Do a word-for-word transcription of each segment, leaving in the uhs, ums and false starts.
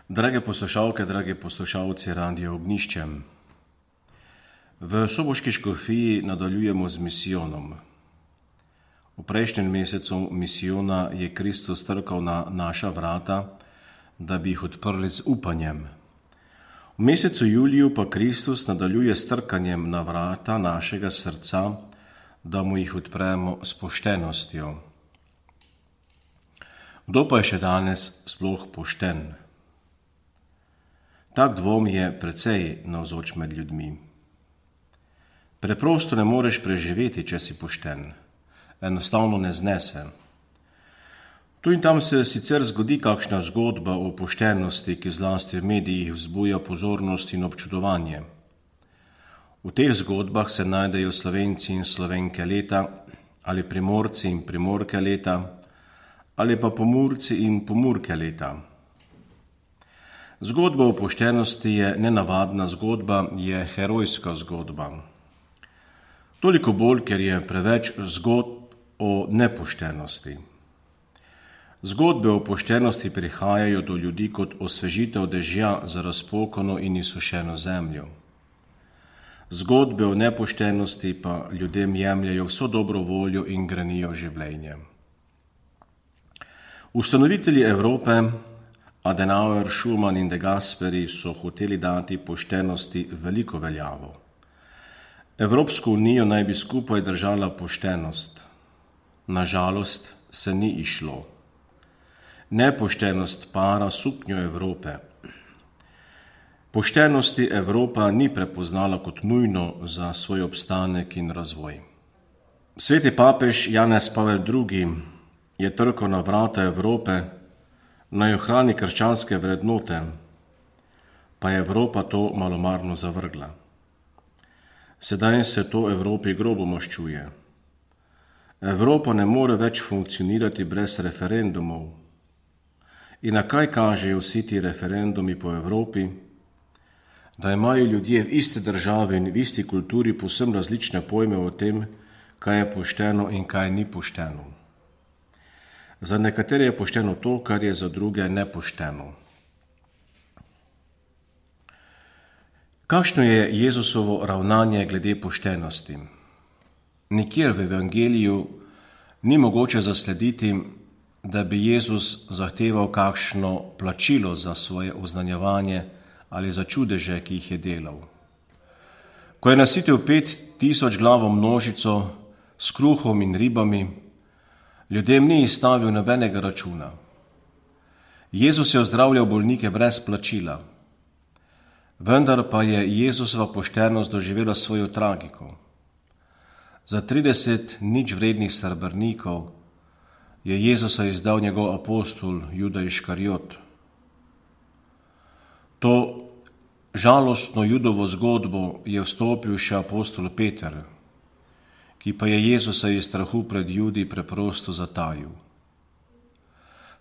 Drage poslušalke, dragi poslušalci Radia Ognjišče. V soboški škofiji nadaljujemo z misijonom. V prejšnjem mesecu misijona je Kristus trkal na naša vrata, da bi jih odprli z upanjem. V mesecu juliju pa Kristus nadaljuje s trkanjem na vrata našega srca, da mu jih odpremo s poštenostjo. Kdo pa je še danes sploh pošten? Tak dvom je precej navzoč med ljudmi. Preprosto ne moreš preživeti, če si pošten. Enostavno ne znese. Tu in tam se sicer zgodi kakšna zgodba o poštenosti, ki zlasti v medijih vzbuja pozornost in občudovanje. V teh zgodbah se najdejo Slovenci in Slovenke leta, ali Primorci in Primorke leta, ali pa Pomurci in Pomurke leta. Zgodba o poštenosti je nenavadna zgodba, je herojska zgodba. Toliko bolj, ker je preveč zgodb o nepoštenosti. Zgodbe o poštenosti prihajajo do ljudi kot osvežitev dežja za razpokano in izsušeno zemljo. Zgodbe o nepoštenosti pa ljudem jemljajo vso dobro voljo in grenijo življenje. Ustanovitelji Evrope, Adenauer, Schuman in De Gasperi so hoteli dati poštenosti veliko veljavo. Evropsko unijo naj bi skupaj držala poštenost. Nažalost se ni išlo. Nepoštenost para suknjo Evrope. Poštenosti Evropa ni prepoznala kot nujno za svoj obstanek in razvoj. Sveti papež Janez Pavel drugi je trkal na vrata Evrope, naj ohrani krščanske vrednote, pa je Evropa to malomarno zavrgla. Sedaj se to Evropi grobo maščuje. Evropa ne more več funkcionirati brez referendumov. In na kaj kažejo vsi ti referendumi po Evropi? Da imajo ljudje v isti državi in v isti kulturi povsem različne pojme o tem, kaj je pošteno in kaj ni pošteno. Za nekatere je pošteno to, kar je za druge nepošteno. Kakšno je Jezusovo ravnanje glede poštenosti? Nikjer v Evangeliju ni mogoče zaslediti, da bi Jezus zahteval kakšno plačilo za svoje oznanjevanje ali za čudeže, ki jih je delal. Ko je nasitil pet tisoč glavo množico s kruhom in ribami, ljudem ni izstavil nobenega računa. Jezus je ozdravljal bolnike brez plačila, vendar pa je Jezusova poštenost doživela svojo tragiko. Za trideset nič vrednih srebrnikov je Jezusa izdal njegov apostol Juda Iškariot. To žalostno Judovo zgodbo je vstopil še apostol Peter, ki pa je Jezusa iz strahu pred Judi preprosto zatajil.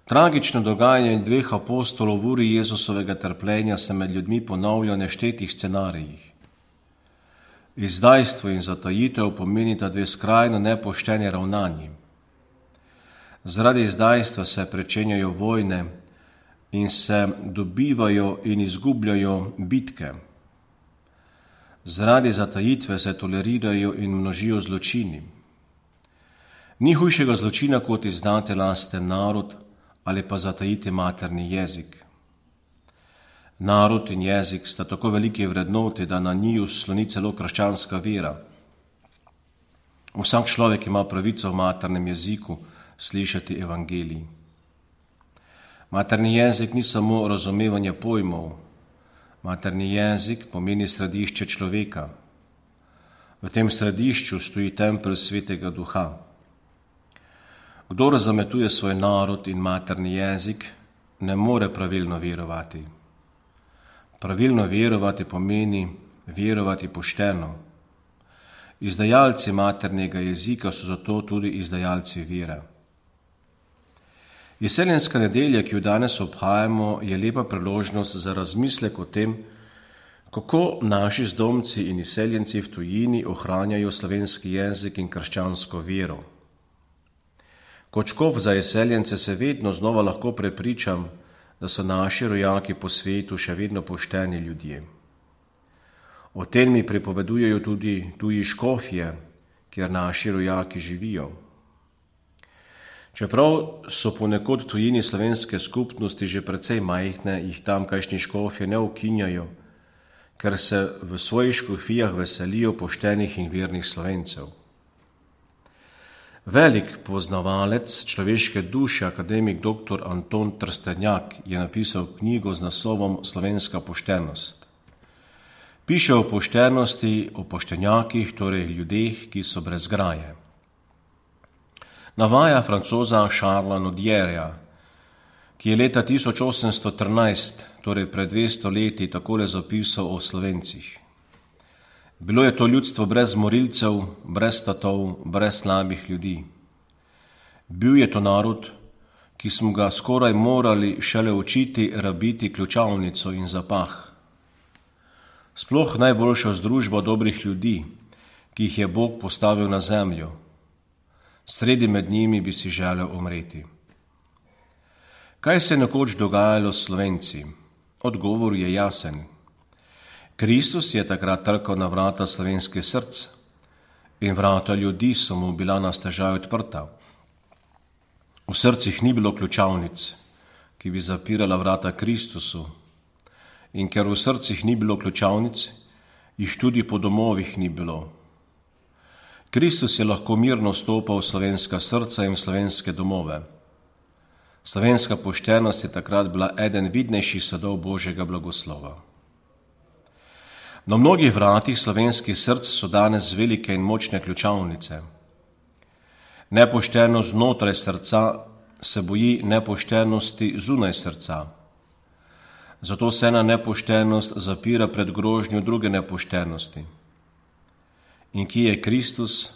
Tragično dogajanje dveh apostolov v uri Jezusovega trpljenja se med ljudmi ponavlja v neštetih scenarijih. Izdajstvo in zatajitev pomenita dve skrajno nepošteni ravnanji. Zaradi izdajstva se pričenjajo vojne in se dobivajo in izgubljajo bitke. Zaradi zatajitve se tolerirajo in množijo zločini. Ni hujšega zločina, kot izdati lasten narod ali pa zatajiti materni jezik. Narod in jezik sta tako veliki vrednoti, da na njiju sloni celo krščanska vera. Vsak človek ima pravico v maternem jeziku slišati evangelij. Materni jezik ni samo razumevanje pojmov. Materni jezik pomeni središče človeka. V tem središču stoji tempelj Svetega Duha. Kdor zametuje svoj narod in materni jezik, ne more pravilno verovati. Pravilno verovati pomeni verovati pošteno. Izdajalci maternega jezika so zato tudi izdajalci vere. Izseljenska nedelja, ki jo danes obhajamo, je lepa priložnost za razmislek o tem, kako naši zdomci in izseljenci v tujini ohranjajo slovenski jezik in krščansko vero. Kot škof za izseljence se vedno znova lahko prepričam, da so naši rojaki po svetu še vedno pošteni ljudje. O tem mi pripovedujejo tudi tuji škofje, kjer naši rojaki živijo. Čeprav so ponekod tujini slovenske skupnosti že precej majhne, jih tamkajšnji škofje ne ukinjajo, ker se v svojih škofijah veselijo poštenih in vernih Slovencev. Velik poznavalec človeške duše, akademik doktor Anton Trstenjak, je napisal knjigo z naslovom Slovenska poštenost. Piše o poštenosti, o poštenjakih, torej ljudeh, ki so brez graje. Navaja francoza Charlesa Nodierja, ki je leta tisoč osemsto trinajst, torej pred dvesto leti, takole zapisal o Slovencih. Bilo je to ljudstvo brez morilcev, brez tatov, brez slabih ljudi. Bil je to narod, ki smo ga skoraj morali šele učiti rabiti ključavnico in zapah. Sploh najboljšo združbo dobrih ljudi, ki jih je Bog postavil na zemljo. Sredi med njimi bi si želel umreti. Kaj se je nekoč dogajalo s Slovenci? Odgovor je jasen. Kristus je takrat trkal na vrata slovenskih src in vrata ljudi so mu bila na stežaj odprta. V srcih ni bilo ključavnic, ki bi zapirala vrata Kristusu, in ker v srcih ni bilo ključavnic, jih tudi po domovih ni bilo. Kristus je lahko mirno vstopal v slovenska srca in v slovenske domove. Slovenska poštenost je takrat bila eden vidnejših sadov Božjega blagoslova. Na mnogih vratih slovenskih src so danes velike in močne ključavnice. Nepoštenost znotraj srca se boji nepoštenosti zunaj srca. Zato se ena nepoštenost zapira pred grožnjo druge nepoštenosti. In kje je Kristus?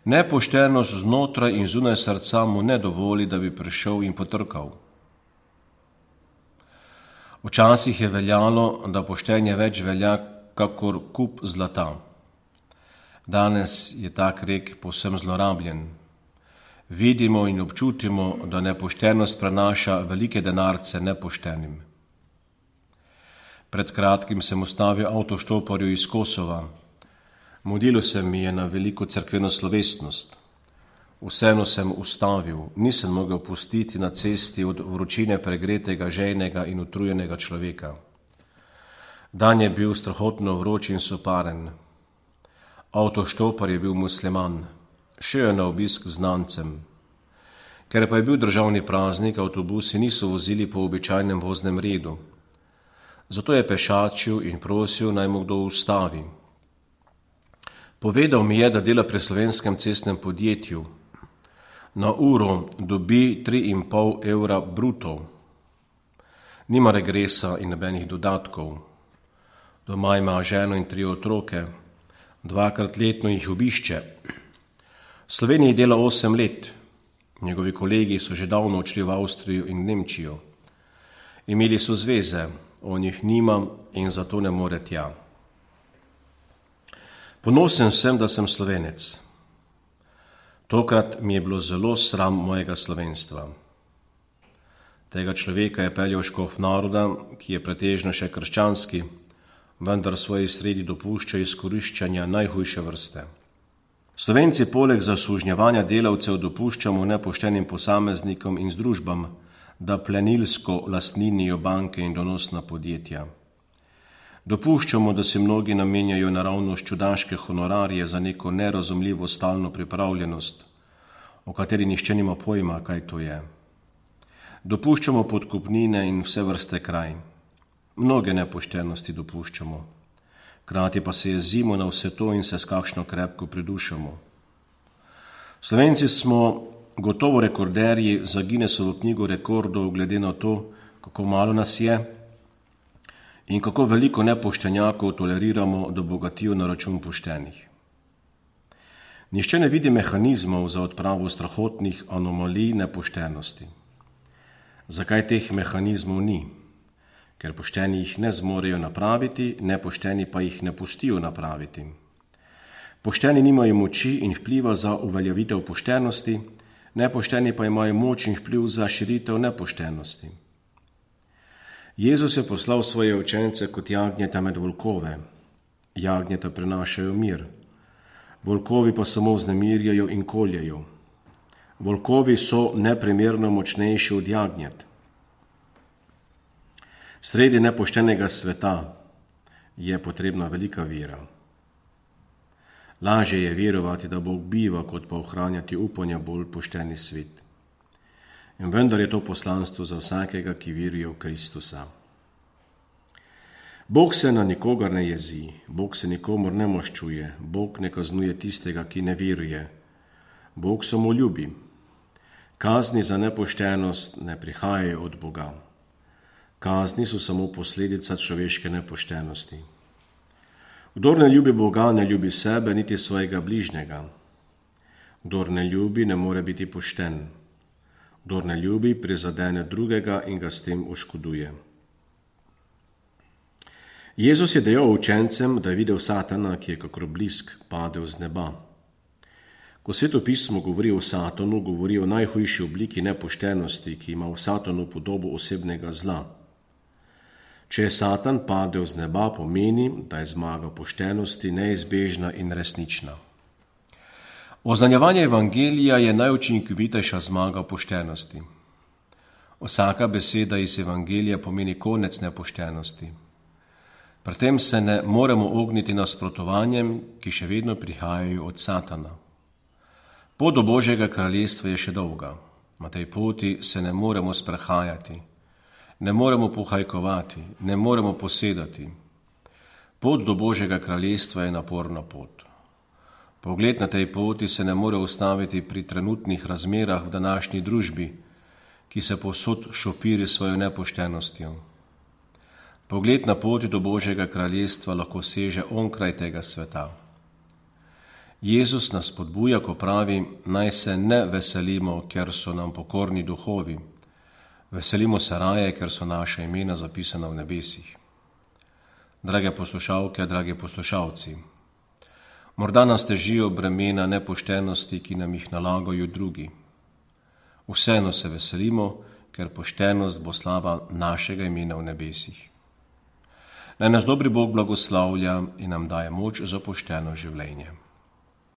Nepoštenost znotraj in zunaj srca mu ne dovoli, da bi prišel in potrkal. Včasih je veljalo, da poštenje več velja kakor kup zlata. Danes je tak rek povsem zlorabljen. Vidimo in občutimo, da nepoštenost prenaša velike denarce nepoštenim. Pred kratkim sem ustavil avtoštoparju iz Kosova. Mudilo se mi je na veliko cerkveno slovesnost. Vseeno sem ustavil, nisem mogel pustiti na cesti od vročine pregretega, žejnega in utrujenega človeka. Dan je bil strahotno vroč in soparen. Avtoštopar je bil musliman, šel je na obisk znancem. Ker pa je bil državni praznik, avtobusi niso vozili po običajnem voznem redu. Zato je pešačil in prosil, naj mu kdo ustavi. Povedal mi je, da dela pri slovenskem cestnem podjetju. Na uro dobi tri in pol evra bruto. Nima regresa in nobenih dodatkov. Doma ima ženo in tri otroke. Dvakrat letno jih obišče. V Sloveniji dela osem let. Njegovi kolegi so že davno odšli v Avstrijo in Nemčijo. Imeli so zveze, on jih nima in zato ne more tja. Ponosen sem, da sem Slovenec. Tokrat mi je bilo zelo sram mojega slovenstva. Tega človeka je peljal škof naroda, ki je pretežno še krščanski, vendar svoji sredi dopušča izkoriščanja najhujše vrste. Slovenci poleg zasužnjevanja delavcev dopuščamo nepoštenim posameznikom in združbam, da plenilsko lastninijo banke in donosna podjetja. Dopuščamo, da si mnogi namenjajo naravnost čudaške honorarje za neko nerazumljivo stalno pripravljenost, o kateri nihče nima pojma, kaj to je. Dopuščamo podkupnine in vse vrste kraj. Mnoge nepoštenosti dopuščamo. Krati pa se jezimo na vse to in se s kakšno krepko pridušamo. Slovenci smo gotovo rekorderji za Guinnessovo knjigo rekordov glede na to, kako malo nas je in kako veliko nepoštenjakov toleriramo, da bogatijo na račun poštenih. Nihče ne vidi mehanizmov za odpravo strahotnih anomalij nepoštenosti. Zakaj teh mehanizmov ni? Ker pošteni jih ne zmorejo napraviti, nepošteni pa jih ne pustijo napraviti. Pošteni nimajo moči in vpliva za uveljavitev poštenosti, nepošteni pa imajo moč in vpliv za širitev nepoštenosti. Jezus je poslal svoje učence kot jagnjeta med volkove. Jagnjeta prinašajo mir. Volkovi pa samo vznemirjajo in koljejo. Volkovi so neprimerno močnejši od jagnjet. Sredi nepoštenega sveta je potrebna velika vera. Lažje je verovati, da Bog biva, kot pa ohranjati upanja bolj pošteni svet. In vendar je to poslanstvo za vsakega, ki veruje v Kristusa. Bog se na nikogar ne jezi, Bog se nikomor ne maščuje, Bog ne kaznuje tistega, ki ne veruje. Bog samo ljubi. Kazni za nepoštenost ne prihajajo od Boga. Kazni so samo posledica človeške nepoštenosti. Kdor ne ljubi Boga, ne ljubi sebe, niti svojega bližnjega. Kdor ne ljubi, ne more biti pošten. Kdor ne ljubi, prizadene drugega in ga s tem oškoduje. Jezus je dejal učencem, da je videl Satana, ki je kakor blisk padel z neba. Ko Sveto pismo govori o Satanu, govori o najhujši obliki nepoštenosti, ki ima v Satanu podobo osebnega zla. Če je Satan padel z neba, pomeni, da je zmaga poštenosti neizbežna in resnična. Oznanjevanje evangelija je najučinkovitejša zmaga poštenosti. Vsaka beseda iz evangelija pomeni konec nepoštenosti. Pri tem se ne moremo ogniti nasprotovanjem, ki še vedno prihajajo od Satana. Pot do Božjega kraljestva je še dolga. Na tej poti se ne moremo sprehajati, ne moremo pohajkovati, ne moremo posedati. Pot do Božjega kraljestva je naporna pot. Pogled na tej poti se ne more ustaviti pri trenutnih razmerah v današnji družbi, ki se povsod šopiri svojo nepoštenostjo. Pogled na poti do Božjega kraljestva lahko seže onkraj tega sveta. Jezus nas spodbuja, ko pravi, naj se ne veselimo, ker so nam pokorni duhovi. Veselimo se raje, ker so naša imena zapisana v nebesih. Drage poslušalke, dragi poslušalci, morda nas težijo bremena nepoštenosti, ki nam jih nalagajo drugi. Vseeno se veselimo, ker poštenost bo slava našega imena v nebesih. Naj nas dobri Bog blagoslavlja in nam daje moč za pošteno življenje.